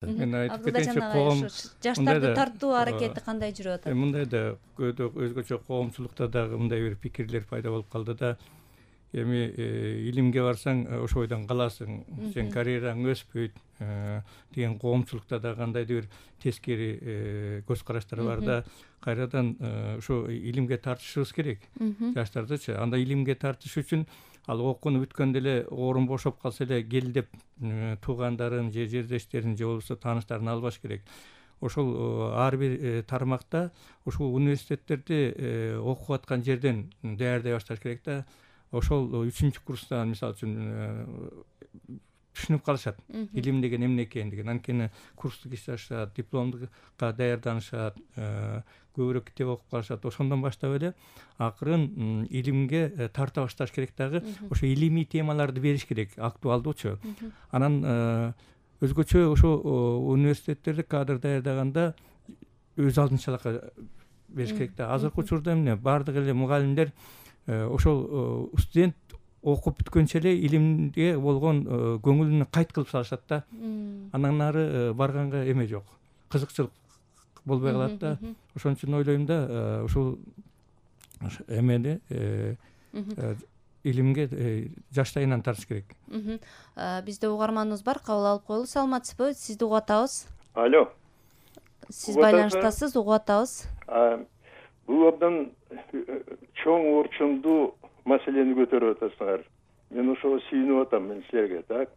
Мен айтып Абдулла кетейинчи, жанагай коом жаштарды тартуу аракети кандай жүрүп атат? мындай да өзгөчө коомчулукта дагы мындай бир пикирлер пайда болуп калды да. Эми илимге барсаң ошо бойдон каласың, сен карьераң өспөйт деген коомчулукта да кандайдыр бир тескери көз караштар бар да. Кайрадан ошо илимге тартышыбыз керек жаштардычы. Анда илимге тартыш үчүн ал окууну бүткөндө эле орун бошоп калса эле кел деп туугандарын же жердештерин же болбосо тааныштарын албаш керек. Ошол ар бир тармакта ушул университеттерди окуп аткан жерден даярдай башташ керек да. Ошол 3-курстан мисалы үчүн түшүнүп калышат илим деген эмне экендигин. Анткени курстук иш ашат, дипломдукка даярданышат, көбүрөөк китеп окуп калышат. Ошондон баштап эле акырын илимге тарта башташ керек дагы. Ошо илимий темаларды бериш керек, актуалдуучу. Анан өзгөчө ошо университеттерде кадр даярдаганда өз алдынчалыкка бериш керек да. Азыркы учурда эмне баардык эле мугалимдер ошол студент окуп бүткөнчө эле илимге болгон көңүлүн кайт кылып салышат да. Андан ары барганга эме жок, кызыкчылык болбой калат да. Ошон үчүн ойлойм да, ушул эмени илимге жаштайынан тартыш керек. Бизде угарманыбыз бар, кабыл алып коелу. Саламатсызбы? Сизди угуп атабыз. Алло. Сиз байланыштасыз, угуп атабыз. Бул абдан чоң орчундуу маселени көтөрүп атасыңар. Мен ошого сүйүнүп атам, мен силерге, так?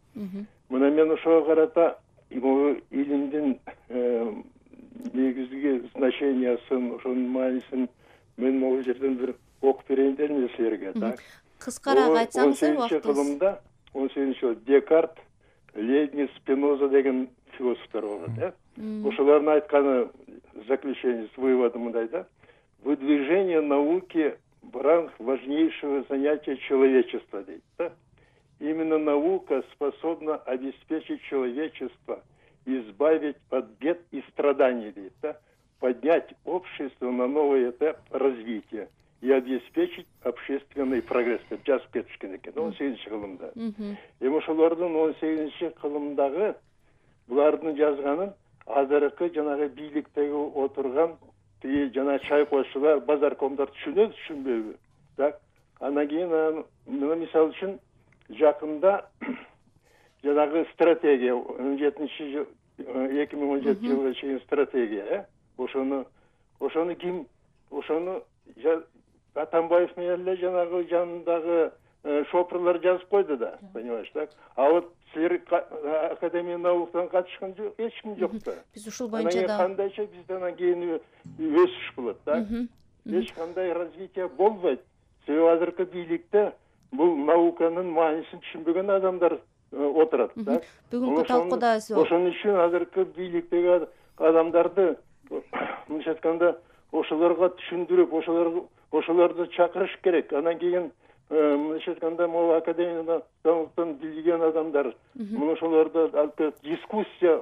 Мына мен ошого карата илимдин негизги значениясын, ошонун маанисин мен могул жерден бир окуп берейин дедим силерге, так? Кыскараак айтсаңыз, убактыбыз. 18-жыл Декарт, Лейбниц, Спиноза деген философтор болгон, ошолордун айтканы заключение, выводы мындай да. Выдвижение науки в ранг важнейшего занятия человечества. Да? Именно наука способна обеспечить человечество, избавить от бед и страданий, да? Поднять общество на новый этап развития и обеспечить общественный прогресс. Жаз кетишкен экен 18-чи кылымда. Эми ошолордун 18-чи кылымдагы булардын жазганын азыркы жанагы бийликтеги отурган жана чайкоочулар, базаркомдор түшүнөбү, түшүнбөйбү. Так? Анан кийин мына мисалы үчүн жакында жанагы стратегия 2017 жылга чейин стратегия, ошону ким, Атамбаев менен эле жанагы жанындагы шопурлар жазып койду да, понимаешь, так? А вот силер Академия науктан катышкан эч ким жок да. Биз ушул боюнча да кандайча бизде анан кийин өсүш болот да. Эч кандай развитие болбойт. Себеби азыркы бийликте бул науканын маанисин түшүнбөгөн адамдар отурат да. Бүгүнкү талкууда ошон үчүн азыркы бийликтеги адамдарды мынча айтканда ошолорго түшүндүрүп, ошолорду чакырыш керек. Анан кийин мынча айтканда могу Академиядан билген адамдар муну ошолорду алып дискуссия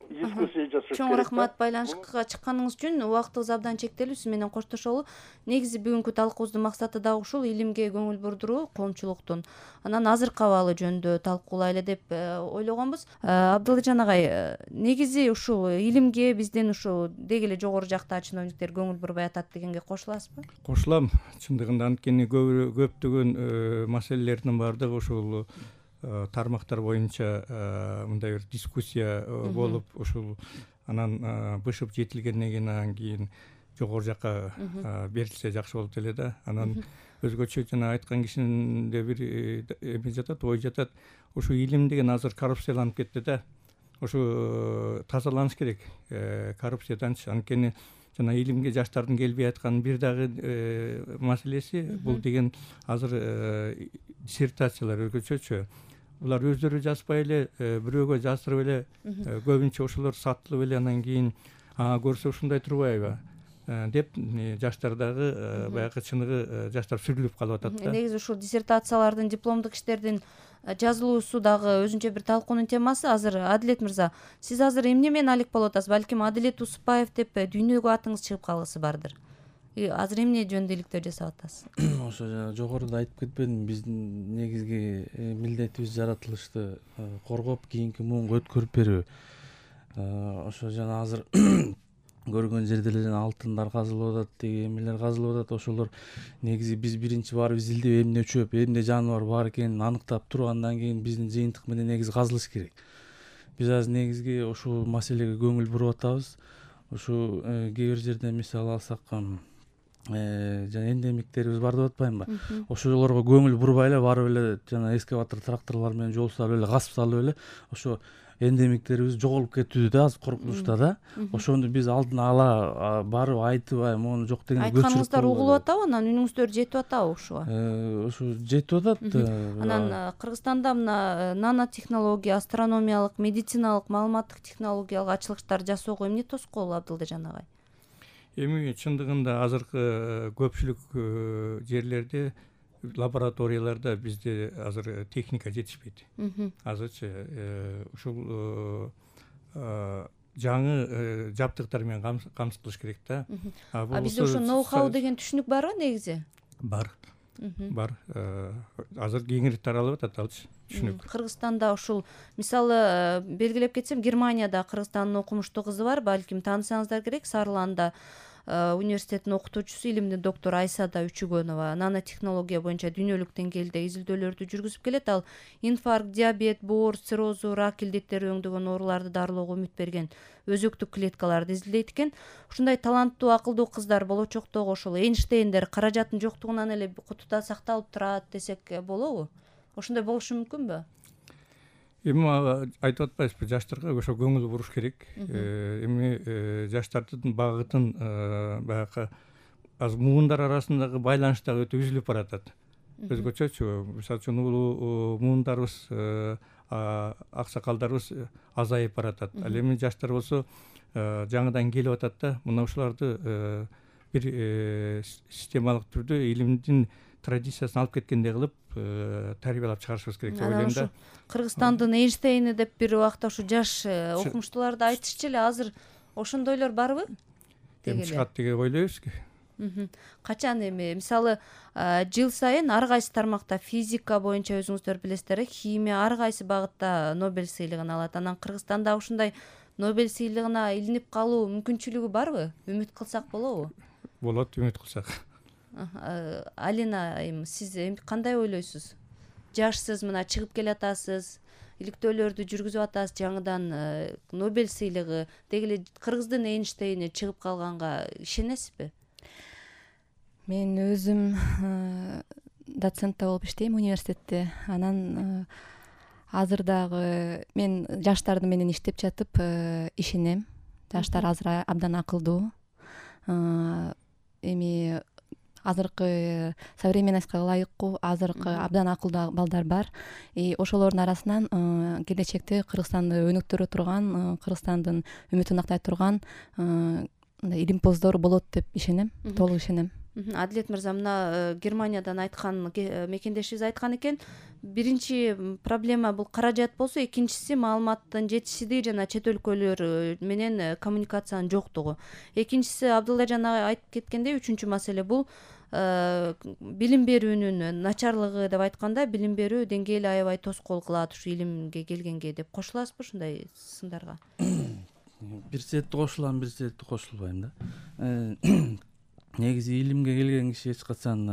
жасаш керек. Чоң рахмат байланышка чыкканыңыз үчүн. Убактыбыз абдан чектелүү. Сиз менен коштошолу. Негизи бүгүнкү талкуубуздун максаты дагы ушул, илимге көңүл бурдуруу коомчулуктун. Анан азыркы абалы жөнүндө талкуулайлы деп ойлогонбуз. Абдылжан агай, негизи ушул илимге биздин ушул деги эле жогору жакта чиновниктер көңүл бурбай атат дегенге кошуласызбы? Кошулам. Чындыгында анткени көптөгөн маселелердин баардыгы ушул тармактар боюнча мындай бир дискуссия болуп, ушул анан бышып жетилгенден кийин анан кийин жогору жакка берилсе жакшы болот эле да. Анан өзгөчө жана айткан кишинде бир эме жатат, ой жатат. Ушу илим деген азыр коррупцияланып кетти да. Ушу тазаланыш керек коррупцияданчы. Анткени жана илимге жаштардын келбей аткан бир дагы маселеси бул деген азыр диссертациялар өзгөчөчү. Булар өздөрү жазбай эле, бирөөгө жаздырып эле, көбүнчө ошолор сатылып эле анан кийин көрсө ушундай турбайбы деп жаштардагы баягы чыныгы жаштар сүрүлүп калып атат да. Негизи ушул диссертациялардын, дипломдук иштердин жазылуусу дагы өзүнчө бир талкуунун темасы. Азыр Адилет мырза, сиз азыр эмне менен алек болуп атасыз? Балким Адилет Усупбаев деп дүйнөгө атыңыз чыгып калгысы бардыр. Азыр эмне жөнүндө иликтөө жасап атасыз? Ошо жана жогоруда айтып кетпедимби, биздин негизги милдетибиз жаратылышты коргоп, кийинки муунга өткөрүп берүү. Ошо жана азыр көргөн жерде эле жана алтындар казылып атат, деги эмелер казылып атат. Ошолор негизи биз биринчи барып изилдеп эмне чөп, эмне жаныбар бар экенин аныктап туруп, андан кийин биздин жыйынтык менен негизи казылыш керек. Биз азыр негизги ушул маселеге көңүл буруп атабыз. Ушу кээ бир жерде мисал алсак, жана эндемиктерибиз бар деп атпаймынбы? Ошолорго көңүл бурбай эле барып эле жана экскаватор, тракторлор менен жол салып эле, касып салып эле ошо эндемиктерибиз жоголуп кетүүдө да, азыр коркунучта да. Ошону биз алдын ала барып айтып, могуну жок деген айтканыңыздар угулуп атабы? Анан үнүңүздөр жетип атабы ушуга? Ошо жетип атат. Анан Кыргызстанда мына нанотехнология, астрономиялык, медициналык, маалыматтык технологиялык ачылыштар жасоого эмне тоскоол, Абдылдажан агай? Эми чындыгында азыркы көпчүлүк жерлерде, лабораторияларда бизде азыр техника жетишпейт. Азырчы ушул жаңы жабдыктар менен камсыз кылыш керек да. Бизде ошо ноу-хау деген түшүнүк барбы негизи? Бар. Азыр кеңири таралып атат алчы түшүнүк. Кыргызстанда ушул мисалы белгилеп кетсем, Германияда Кыргызстандын окумуштуу кызы бар, балким таанысаңыздар керек. Сарланда университетинин окутуучусу, илимдин доктору Айсада Үчүгөнова нанотехнология боюнча дүйнөлүк деңгээлде изилдөөлөрдү жүргүзүп келет. Ал инфаркт, диабет, боор, циррозу, рак илдеттери өңдөгөн ооруларды дарылоого үмүт берген өзөктүк клеткаларды изилдейт экен. Ушундай таланттуу, акылдуу кыздар болочоктогу ошол Эйнштейндер каражаттын жоктугунан эле кутуда сакталып турат десек болобу? Ошондой болушу мүмкүнбү? Эми айтып атпайбызбы, жаштарга ошо көңүл буруш керек. Эми жаштардын багытын баягы азыр муундар арасындагы байланыш дагы өтө үзүлүп баратат. Өзгөчөчү, мисалы үчүн улуу муундарыбыз, аксакалдарыбыз азайып баратат. Ал эми жаштар болсо жаңыдан келип атат да. Мына ушуларды бир системалык түрдө илимдин традициясын алып кеткендей кылып тарбиялап чыгарышыбыз керек деп ойлойм да. Кыргызстандын Эйнштейни деп бир убакта ушу жаш окумуштууларды айтышчу эле. Азыр ошондойлор барбы? Эми чыгат деп ойлойбуз. Качан эми мисалы жыл сайын ар кайсы тармакта физика боюнча өзүңүздөр билесиздер, химия ар кайсы багытта Нобель сыйлыгын алат. Анан Кыргызстанда ушундай Нобель сыйлыгына илинип калуу мүмкүнчүлүгү барбы? Үмүт кылсак болобу? Болот, үмүт кылсак. Алина, сиз кандай ойлойсуз? Жашсыз, мына чыгып келатасыз, иликтөөлөрдү жүргүзүп атасыз, жаңыдан Нобель сыйлыгы, деги эле Кыргыздын Эйнштейни чыгып калганга ишенесизби? Мен өзүм доцентте болуп иштейм университетте. Анан азыр дагы мен жаштарды менен иштеп жатып ишенем. Жаштар азыр абдан акылдуу. Эми азыркы современностька ылайыктуу, азыркы абдан акылдуу балдар бар. Ошолордун арасынан келечекте Кыргызстанды өнүктүрө турган, Кыргызстандын үмүтүн актай турган илимпоздор болот деп ишенем, толук ишенем. Адилет мырза, мына Германиядан айткан мекендешибиз айткан экен, биринчи проблема бул каражат болсо, экинчиси маалыматтын жетишсиздиги жана чет өлкөлөр менен коммуникациянын жоктугу. Экинчиси Абдылдажан айтып кеткендей, үчүнчү маселе бул билим берүүнүн начарлыгы деп айтканда, билим берүү деңгээли аябай тоскоол кылат ушу илимге келгенге деп кошуласызбы ушундай сындарга? Бир сетти кошулам, бир сетти кошулбайм да. Негизи илимге келген киши эч качан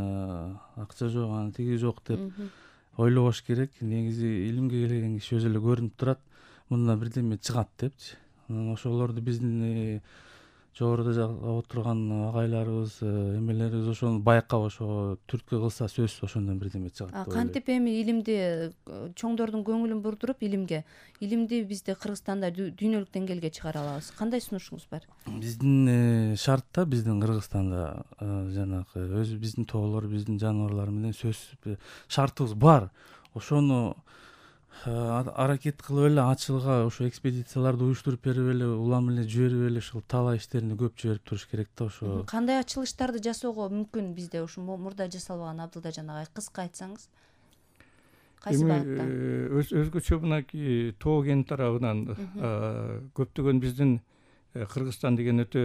акча жок, аны тиги жок деп ойлобош керек. Негизи илимге келген киши өзү эле көрүнүп турат, мындан бирдеме чыгат депчи. Ошолорду биздин жогоруда отурган агайларыбыз, эмелерибиз ошону байкап, ошо түрткү кылса сөзсүз ошондон бирдеме чыгат деп ойлойм. Кантип эми илимди чоңдордун көңүлүн бурдуруп, илимди бизде Кыргызстанда дүйнөлүк деңгээлге чыгара алабыз? Кандай сунушуңуз бар? Биздин шартта, биздин Кыргызстанда жанагы өзү биздин тоолор, биздин жаныбарлар менен сөзсүз шартыбыз бар. Ошону аракет кылып эле ачылга ошо экспедицияларды уюштуруп берип эле, улам эле жиберип эле ушул талаа иштерин көп жиберип туруш керек да. Ошо кандай ачылыштарды жасоого мүмкүн бизде ушу мурда жасалбаган, Абдылдажан агай, кыска айтсаңыз? Кайсы багытта? Өзгөчө мынакей тоо кен тарабынан көптөгөн биздин Кыргызстан деген өтө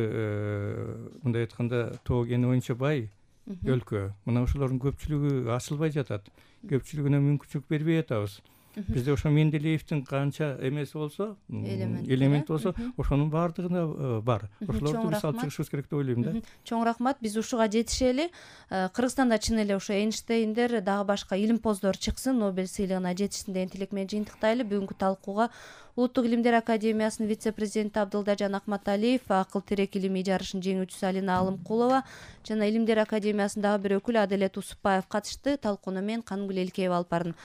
мындай айтканда тоо кени боюнча бай өлкө. Мына ошолордун көпчүлүгү ачылбай жатат. Көпчүлүгүнө мүмкүнчүлүк бербей атабыз. бизде ошо Менделеевдин канча эмеси болсо, элементи болсо, ошонун баардыгында бар. Ошолорду биз алып чыгышыбыз керек деп ойлойм да. Чоң рахмат. Биз ушуга жетишели. Кыргызстанда чын эле ошо Эйнштейндер, дагы башка илимпоздор чыксын, Нобель сыйлыгына жетишсин деген тилек менен жыйынтыктайлы. Бүгүнкү талкууга Улуттук илимдер академиясынын вице-президенти Абдылдажан Акматалиев, акыл тирек илимий жарышынын жеңүүчүсү Алина Алымкулова жана Илимдер академиясынын дагы бир өкүлү Аделет Усупбаев катышты. Талкууну мен Канымгүл Элкеева алып бардым.